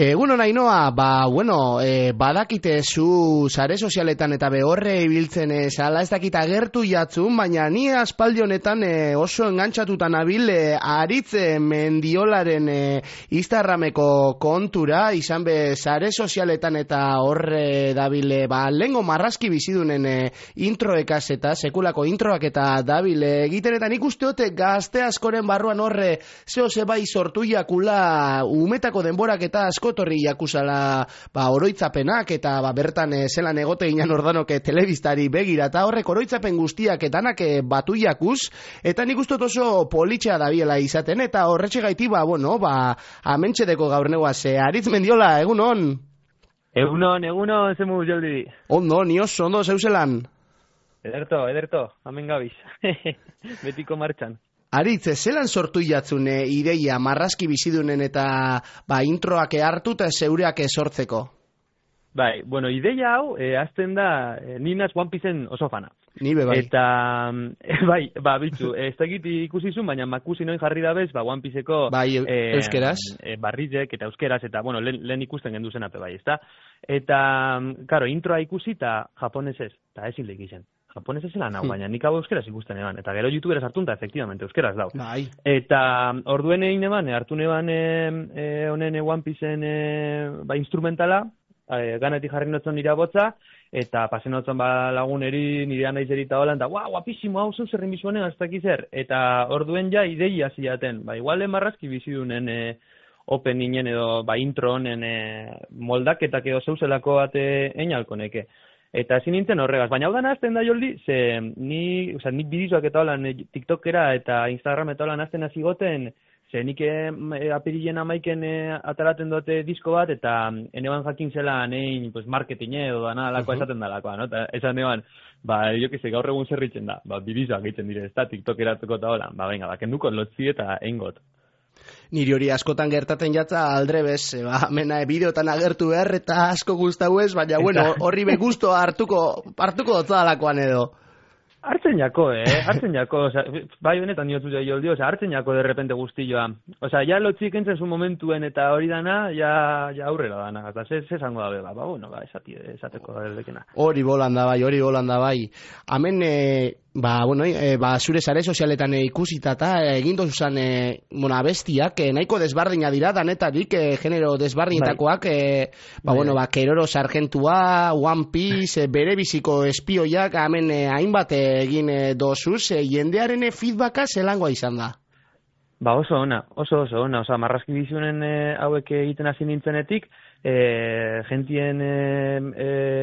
Egunon Ainoa, badakite zu sare sozialetan eta behorre ibiltzen zala, ez dakit agertu jatzun, baina ni aspaldi honetan oso engantzatuta nabil Aritz Mendiolaren Instagrameko kontura, izan be sare sozialetan eta horre dabile, lehengo marrazki bizidunen introekaz eta sekulako introak eta dabile egiten, eta nik uste hote gazte askoren barruan horre zeo zebai sortu jakula umetako denborak eta askotorri jakusala oroitzapenak eta bertan zelan egote ginen ordanoke telebistari begira eta horrek oroitzapen guztiak etanak batu jakuz eta nik uste oso politxea dabiela izaten eta horretxe gaiti amentxedeko gaur neguaz. Aritz Mendiola, egunon? Egunon, zemu joldi. Ondo, ni oso, ondo, zeuzelan? Ederto, hemen gabiz. Betiko martxan. Aritz, zelan sortu jatzune ideia marrazki bizidunen eta introak hartu eta zeureak sortzeko? Bai, ideia hau, azten da, ninaz One Pieceen oso fana. Ni be bai. Eta, bitzu, ez dakit ikusizun, baina makusi noin jarri dabez, One Pieceko... euskeraz. Barrizek eta euskeraz, eta, lehen ikusten gendu zen ape bai, ezta? Eta, karo, introa ikusi eta japonesez, eta ezin lehik izen. Japonez ezela nau, baina nik hau euskeraz ikusten eban. Eta gero YouTubera sartun eta efectivamente euskeraz dau. Bai. Eta orduen egin eban, hartu neban honen One Pieceen instrumentala, ganetik jarri notzen nire botza, eta pasen notzen laguneri, nire anaizeri eta holan, eta guapísimo, hau zeu zerrin bizuanen, ez dakiz zer. Eta orduen ja ideia ziaten. Igual marrazki bizidunen openinen edo intro honen moldaketak edo zeuzelako bate einalko neke. Eta ezin nintzen horregaz, baina hau dana azten da joldi, ze nik bidizoak eta holan TikTokera eta Instagram eta holan azten azigoten, ze nik apirilen amaiken ataraten dute disko bat, eta eneban jakin zela nein marketing edo dana alakoa esaten da alakoa, no? Eta esan neban, gaur egun zerritzen da, bidizoak egiten dire, ez da TikTokeratuko eta holan, kenduko lotzi eta eingot. Niri hori askotan gertaten jatza aldrebez, mena bideotan agertu behar eta asko guztau ez, baina horri be gusto hartuko dotzadalakoan edo. Hartzen jako, bai honetan niotu da joldi, hartzen jako derrepente guztilloa. Ja lotzik entzen zu momentuen eta hori dana, ja aurrera dana, eta ze zango da beba, esateko dekena. Hori bolan da bai. Hemen, zure sare sozialetan ikusita eta egin dozuzan abestiak, nahiko desbardina dira, danetarik, genero desbardinetakoak, Keroro Sargentua, One Piece, bere biziko espioiak, hemen hainbat egin dozuz, jendearen feedbacka zelangoa izan da? Oso ona, marrazki bizunen hauek egiten hasi nintzenetik, jentien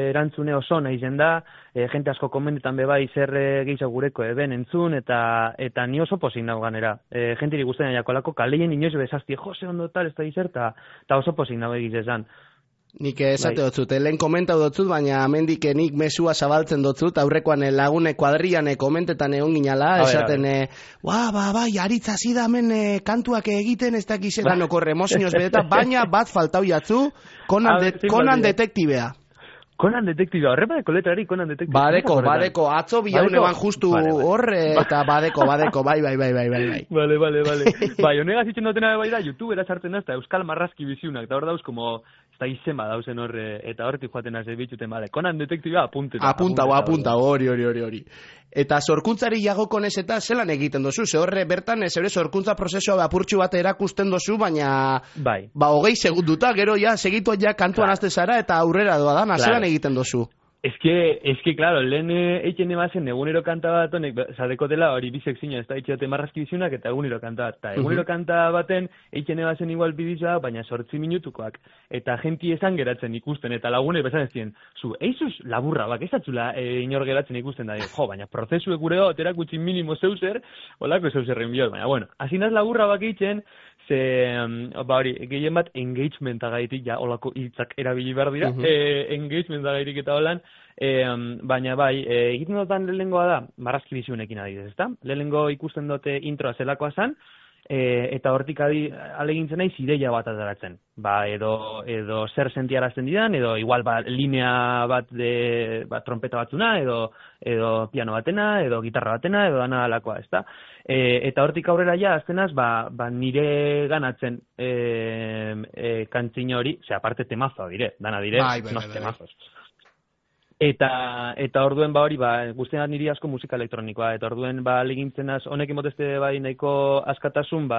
erantzune oso nahi zen da, jente asko komentetan bebai zer gehiago gureko eben entzun, eta ni oso pozik nago ganera. Jentiri guztien jakolako kaleien inoiz bezazti, jose ondo tal, ez da izert, eta oso pozik nago egizezan. Nik esate dotzut, lehen komentau dotzut, baina amendik nik mesua zabaltzen dotzut, aurrekoan lagune kuadrian komentetan egon ginala, esaten, Aritz hasi da hemen kantuak egiten, ez dakizetan okorre emozioz bedeta, baina bat faltau jatzu, Conan detektibea. Conan detektibea, horrepadeko letrari Conan detektibea. Badeko, atzo bilaune ban justu horre, eta badeko, bai. Vale. Bai, honegaz itxen dutena bai da, YouTubera sartzen da, eta Euskal Marrazki biziunak, eta hor dauz, como, ez da izema dauzen horre, eta horretik joaten azez bitxuten, Conan detektibea apunta, hori. Eta sorkuntzari jagokonez eta zelan egiten dozu, ze horre bertan zeure sorkuntza prozesua apurtxu bat erakusten dozu, baina 20 segunduta, gero segitu kantuan azte zara eta aurrera doa dana, zelan egiten dozu? Es que, claro, lehen eiken emazen egunero kanta bat honek, zadekotela hori bizek zino, ez da itxeote marrazki bizunak eta egunero kanta bat. Eta egunero kanta baten eiken emazen igual bidizoa, baina 8 minutukoak. Eta genti esan geratzen ikusten, eta lagune bezan ez ziren, eizuz laburra bak, ez atzula inor geratzen ikusten da, baina prozesuek gure otera gutxin minimo zeuzer, holako zeuzerren biot, baina asinaz laburra bak eitzen, ze, gehien bat engagementa gaitik, holako hitzak erabili behar dira, engagementa gaitik eta holan, baina egiten dutan lehenengoa da, marrazki bizunekin adidez, ezta? Lehenengo ikusten dute introa zelakoa zan, eta hortik alegintzen naiz ideia bat ateratzen. Edo zer sentiarazten didan, edo igual linea bat trompeta batzuna, edo piano batena, edo gitarra batena, edo dana alakoa, ezta? Eta hortik aurrera ja, aztenaz, nire ganatzen kantzina hori, aparte temazoa dire, dana dire, temazos. Eta orduen hori, guztien niri asko musika elektronikoa, eta orduen legintzen honek imotezte nahiko askatasun,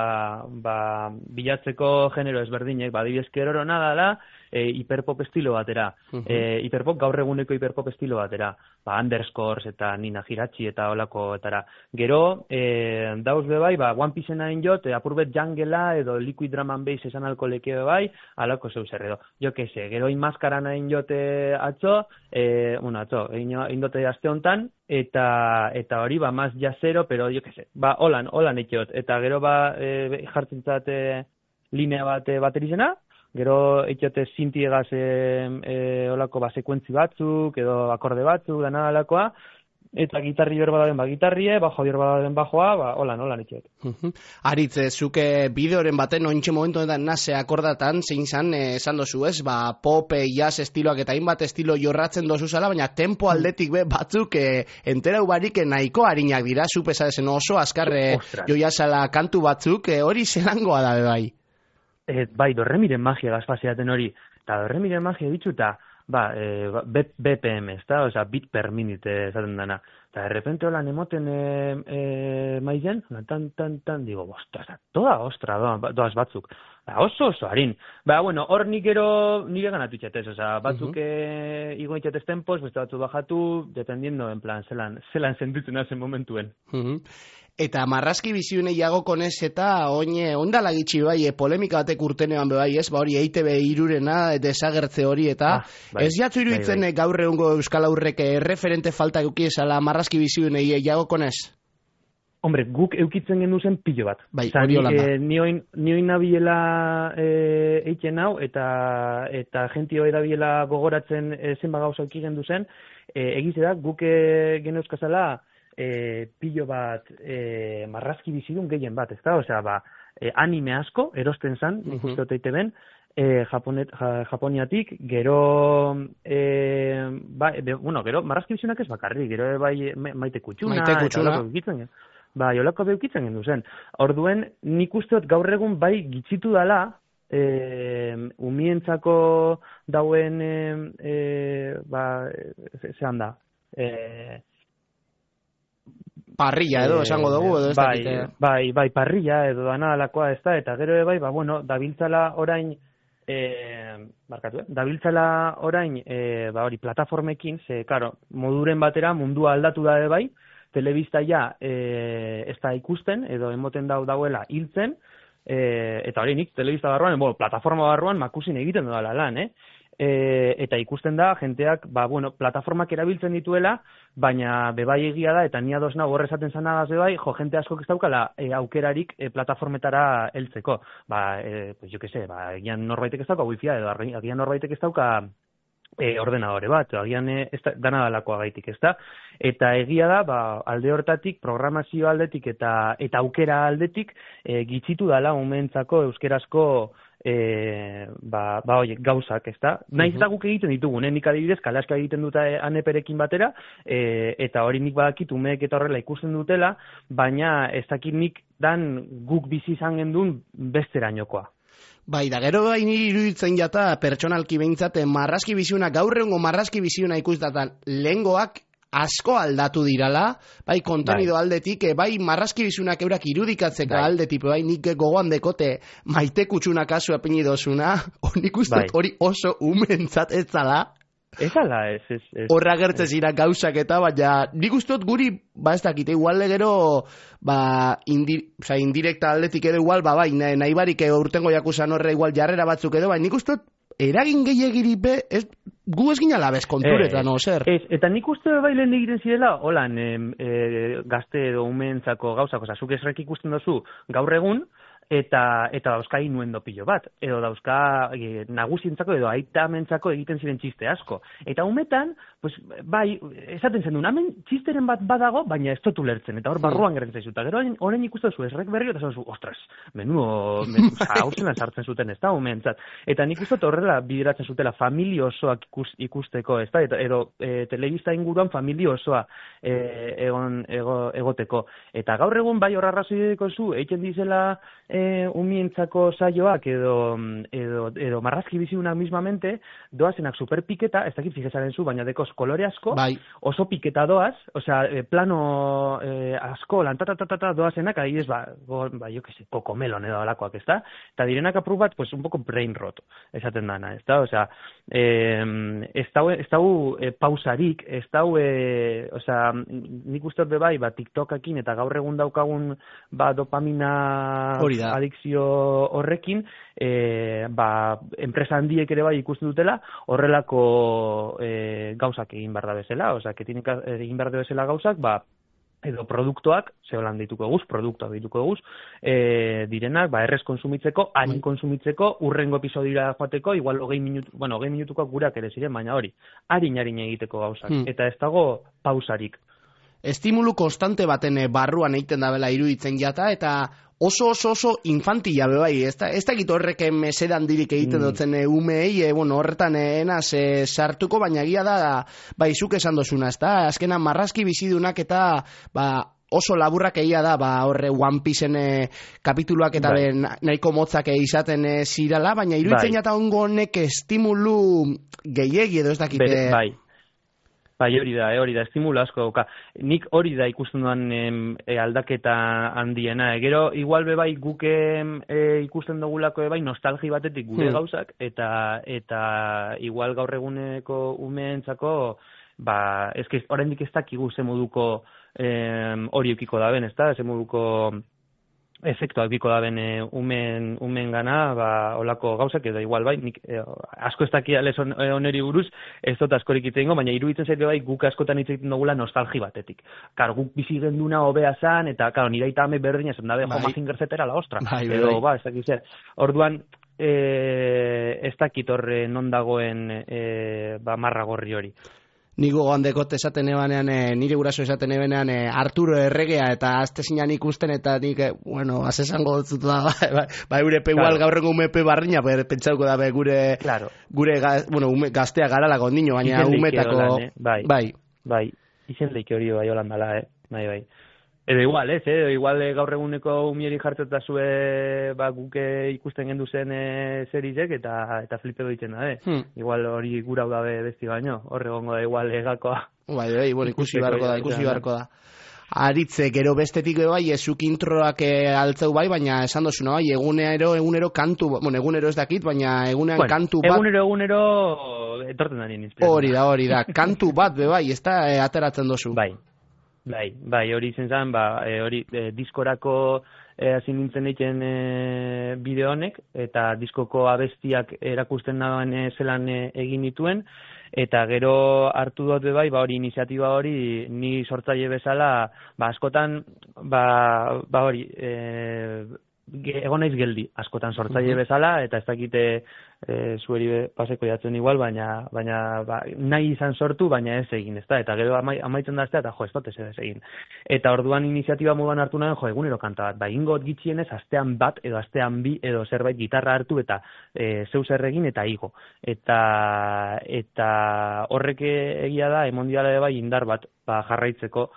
bilatzeko genero ezberdinek, adibidez Keroro nadala, hiperpop estilo batera, hiperpop gaur eguneko hiperpop estilo batera, Underscores eta Nina Hirachi eta olakoetara. Gero, dauz bebai, One Piece nahin jot, apurbet jangela edo liquid drum and bass esan alko leke bebai, alako zeu zer edo. Jo que se, gero inmaskara nahin jote atzo, indote aste hontan, eta hori, maz jazero, pero jo que se, holan ekiot, eta gero jartzen zate linea bat baterizena, gero eitiote sintiegaz olako sekuentzi batzuk, edo akorde batzuk, dana alakoa, eta gitarri berbadaden gitarrie, bajo berbadaden bajoa, holan eitiote. Aritz, zuke bideoren baten ointxe momentu edan nase akordatan, zein zan, esan dozu ez, pop, jazz estiloak eta hainbat estilo jorratzen dozu zala, baina tempo aldetik batzuk enterau barik nahiko harinak dira, zupesa esen oso azkarre joiazala kantu batzuk, hori zelangoa da bai. Dorremiren magia gazpaseaten hori, eta dorremiren magia bitxu eta BPM, ezta? Bit per minute esaten dana. Eta de repente holan emoten maizen, tan, digo, ostra, doaz batzuk. Oso harin. Hor nik ero nire ganatu itxatez, batzuk igo itxatez tempos, beste batzuk bajatu, dependiendo, en plan, zelan sentitzen hazen momentuen. Eta marrazki biziunei jago konez eta ondala gitxi polemika batek urtenean bai ez, hori EITB irurena, desagertze hori eta ez jatzu iruditzen gaur egungo Euskal Aurrek referente falta eukiesala marrazki biziunei jago konez? Hombre, guk eukitzen gendu zen pilo bat. Hori holanda. Nioin nabiela eiken hau eta gentio edabiela gogoratzen zenba gauza euki gendu zen, egize da guk geneuzkazala pilo bat marrazki bizidun gehien bat, ezta? Anime asko, erosten zan, nik uste oteite ben, Japoniatik, gero gero marrazki bizidunak ez bakarri, gero maite kutxuna, olako beukitzen gendu zen. Orduen, nik usteot gaur egun gitzitu dala, umientzako dauen, zehan da, parrilla edo esango dugu edo ez dakite. Parrilla edo dana alakoa ez da, eta gero dabiltzala orain hori plataformekin, moduren batera mundua aldatu da bai, telebista ez da ikusten, edo emoten dauela hiltzen, eta hori nik telebista barruan, plataforma barruan makusin egiten dudala lan, eta ikusten da, jenteak, plataformak erabiltzen dituela, baina bebai egia da, eta ni ados nago horrezaten zanagaz bebai, jente askok ez daukala aukerarik plataformetara heltzeko. Jo que se, agian norbaitek ez dauka wifia, edo agian norbaitek ez dauka ordenadore bat, agian dana dalakoa gaitik, ez da? Eta egia da, alde hortatik, programazio aldetik eta aukera aldetik, gitzitu dala momentzako euskerazko gauzak, ez da? Naiz eta guk egiten ditugu, nik adibidez, kalaska egiten dut aneperekin batera, eta hori nik badakit umeek eta horrela ikusten dutela, baina ez dakit nik dan guk bizi izan gendun besterainokoa. Da gero niri iruditzen jata pertsonalki behintzat marrazki biziuna, gaur egungo marrazki biziuna ikustatan lehengoak asko aldatu dirala, kontenido aldetik, marrazki bizunak eurak irudikatzeka aldetik, nik gogoan dekote maite kutsuna kasu apini dozuna, nik uste hori oso umentzat ez zala. Ez ala, ez. Horra gertzen zira gauzak eta, baina nik usteot guri, ez dakite, igual legero, indirekta aldetik edo igual, nahi barik urtengo jakusan horre igual jarrera batzuk edo, nik usteot eragin gehiagiripe, gu ez ginala bez konturetan, zer? Eta nik uste lehen egiten zirela, holan, gazte edo umentzako gauzak, zuk esrek ikusten dozu gaur egun, eta dauzka inuendo pilo bat, edo dauzka nagusientzako edo aitamentzako egiten ziren txiste asko. Eta umetan, pues, bai, esaten zen duen, hemen txisteren bat badago, baina ez dut ulertzen, eta hor barruan gertzen zaizu. Eta gero horren ikusten zu, esrek berri, eta zu, ostras, hauzenan sartzen zuten, ez da, umentzat. Eta nik uste horrela bideratzen zutela familia osoak ikusteko, ez da, edo telebista inguruan familia osoa egoteko. Eta gaur egun bai horra arrazoideko zu, egiten dizela umientzako saioak edo marrazki bizidunak mismamente, doazenak superpiketa, ez dakit fijezaren zu, baina dekoz kolore asko, bai. Oso piketa doaz, osea, plano asko, lantatatata doazenak, adibidez, jo que se, kokomelon edo alakoak, ez da? Eta direnak apur bat, pues, un poco brain rot, esaten dana, ez da? Osea, ez dau pausarik, ez dau, osea, nik uste hor bai, TikTokakin eta gaur egun daukagun dopamina adikzio horrekin, enpresa handiek ere bai ikusten dutela, horrelako gauzak egin behar da bezala, osea, egin behar da bezala gauzak, edo produktuak, zeholan dituko eguz, produktuak dituko eguz, direnak, errez konsumitzeko, harin konsumitzeko, urrengo episodira joateko, igual 20 minutukoak gurak ere ziren, baina hori, harin egiteko gauzak, eta ez dago pausarik. Estimulu konstante baten barruan egiten dabela iruditzen jata, eta oso infantila bai, ez dakit horrek mesedan dirik egiten dutzen umeei, horretan enaz sartuko, baina egia da, zuk esan dozuna, ez da, azkenan marrazki bizidunak eta, oso laburrak egia da, horre One Pieceen kapituluak eta nahiko motzak izaten zirala, baina iruditzen jata ongo honek estimulu gehiegi edo ez dakite... Bai, hori da, estimula asko dauka. Nik hori da ikusten duan aldaketa handiena. Gero, igual bai guk ikusten dugulako bai nostalgi batetik gure gauzak, eta igual gaur eguneko umeentzako, eskiz, oraindik ez dakigu ze moduko hori eukiko daben, ez da, ze moduko efektuak biko daben umen gana, olako gauzak, edo igual bai, nik asko ez dakia lez oneri buruz, ez dut askorik itzengo, baina iruditzen zaitu bai, guk askotan hitz egiten dugula nostalgi batetik. Kar, guk bizi genduna hobea zan, eta, karo, nire aita ame berdina, zen dabe, Mazinger zetera la ostra. Edo, ez dakit zer. Orduan, ez dakit horre non dagoen marra gorri hori. Nigo gandekot esaten ebanean, nire guraso esaten ebanean Arturo Erregea eta azte zinan ikusten eta nik, azesango dut da, eurepe igual gaurrengo umepe barriña, pentsauko da gure gaztea garala gondino, baina umetako... Bai, izen leike hori bai holandala, bai. Edo igual, igual gaur eguneko umieri jartzeta zue guke ikusten gendu zen zerizek eta flipe doitzen da, Igual hori gura hau dabe besti baino, horre gongo da igual egakoa. Ikusi beharko da. Aritze, gero bestetik bai, ezuk introak altzeu bai, baina esan dozuna bai, egunero kantu, egunero ez dakit, baina egunean kantu bat... Egunero etorten da nien inspirazioa. Hori da, kantu bat bai, ez da ateratzen dozu. Bai, hori izen zen, hori diskorako hasi nintzen egiten bideo honek, eta diskoko abestiak erakusten dagoen zelan egin dituen, eta gero hartu dut bai, hori iniziatiba hori, ni sortzaile bezala, askotan, hori, egon naiz geldi, askotan sortzaile bezala, eta ez dakite zueri paseko jatzen igual, baina nahi izan sortu, baina ez egin, ez da, eta gero amaitzen da aztea, eta ez dut ez egin. Eta orduan iniziatiba moduan hartu nahen, egunero kanta bat, ingot gitxienez, astean bat, edo astean bi, edo zerbait gitarra hartu, eta zeu zer egin, eta igo. Eta horrek egia da, emondiala bai indar bat, jarraitzeko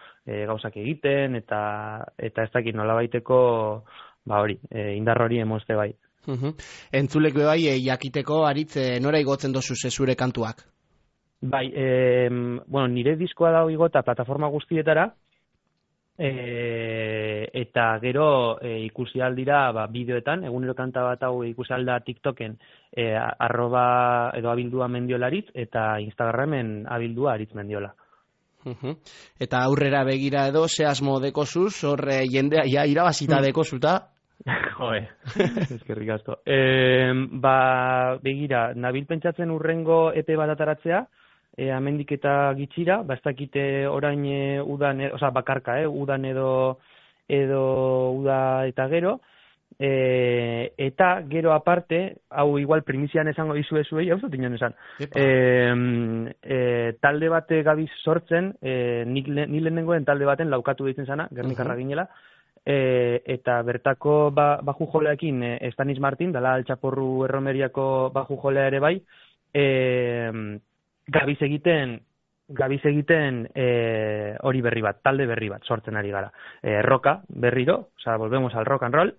gauzak egiten, eta ez dakit nola baiteko, hori, indar hori emozte bai. Entzulek bai, jakiteko Aritz nora igotzen dozu zure kantuak? Bai, nire diskoa dago igota plataforma guztietara, eta gero ikusi aldira bideoetan, egunero kanta bat hau ikusi alda TikToken @abildua mendiolaritz, eta Instagramen abildua aritz mendiola. Eta aurrera begira edo, ze asmo dekozuz, horre jendea irabazita dekozuta? Eskerrik asko. Begira, nabil pentsatzen urrengo EP bat ataratzea, amendik eta gitxira, ez dakite orain udan, bakarka, udan edo uda eta gero, eta gero aparte, hau igual primizian esango dizuei, hau zut inon esan, talde bat gabiz sortzen, ni lehenengoen talde baten laukatu ditzen zana, Gernikarra ginela, eta bertako baju joleakin Stanis Martin, dala Altxaporru Erromeriako baju jolea ere bai, gabiz egiten hori berri bat, talde berri bat sortzen ari gara. Roka berriro, volvemos al rock and roll,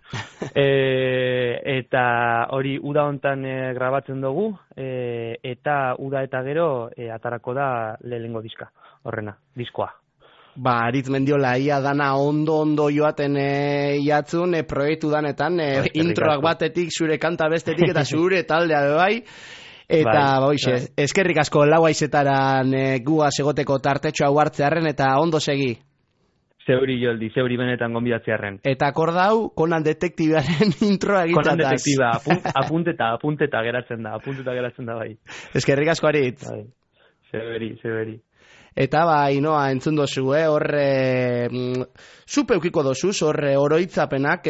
eta hori uda hontan grabatzen dugu, eta uda eta gero atarako da lehenengo diskoa. Aritz Mendiola, ia dana ondo joaten jatzun, proiektu danetan, introak batetik, zure kanta bestetik eta zure taldea bai. Eta eskerrik asko lau aizetaran gua segoteko tartetxo hau hartzearen eta ondo segi. Zeuri Joldi, zeuri benetan gonbidatzearen. Eta akordau, Conan Detektibearen introa egitzataz. Conan Detektiba, apunteta geratzen da bai. Eskerrik asko Aritz. Zeuri. Eta Inoa entzun dozu, horre zupe eukiko dozuz, horre oroitzapenak,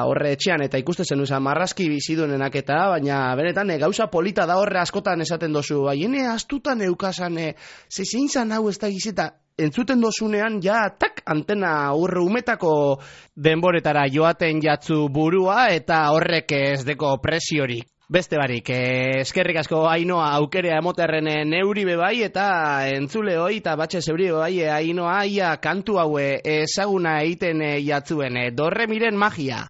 horre etxean eta ikuste zen uzan marrazki bizidunenak eta, baina benetan gauza polita da horre askotan esaten dozu, hene astutan eukasan, zein zan hau ez da gizeta, entzuten dozunean, antena urre umetako denboretara joaten jatzu burua eta horrek ez deko presiorik. Beste barik, eskerrik asko Ainoa aukerea emoterren neuri bebai eta entzule hoi eta batxe zeuri bebai Ainoa ia kantu haue ezaguna egiten jatzuen, dorre miren magia.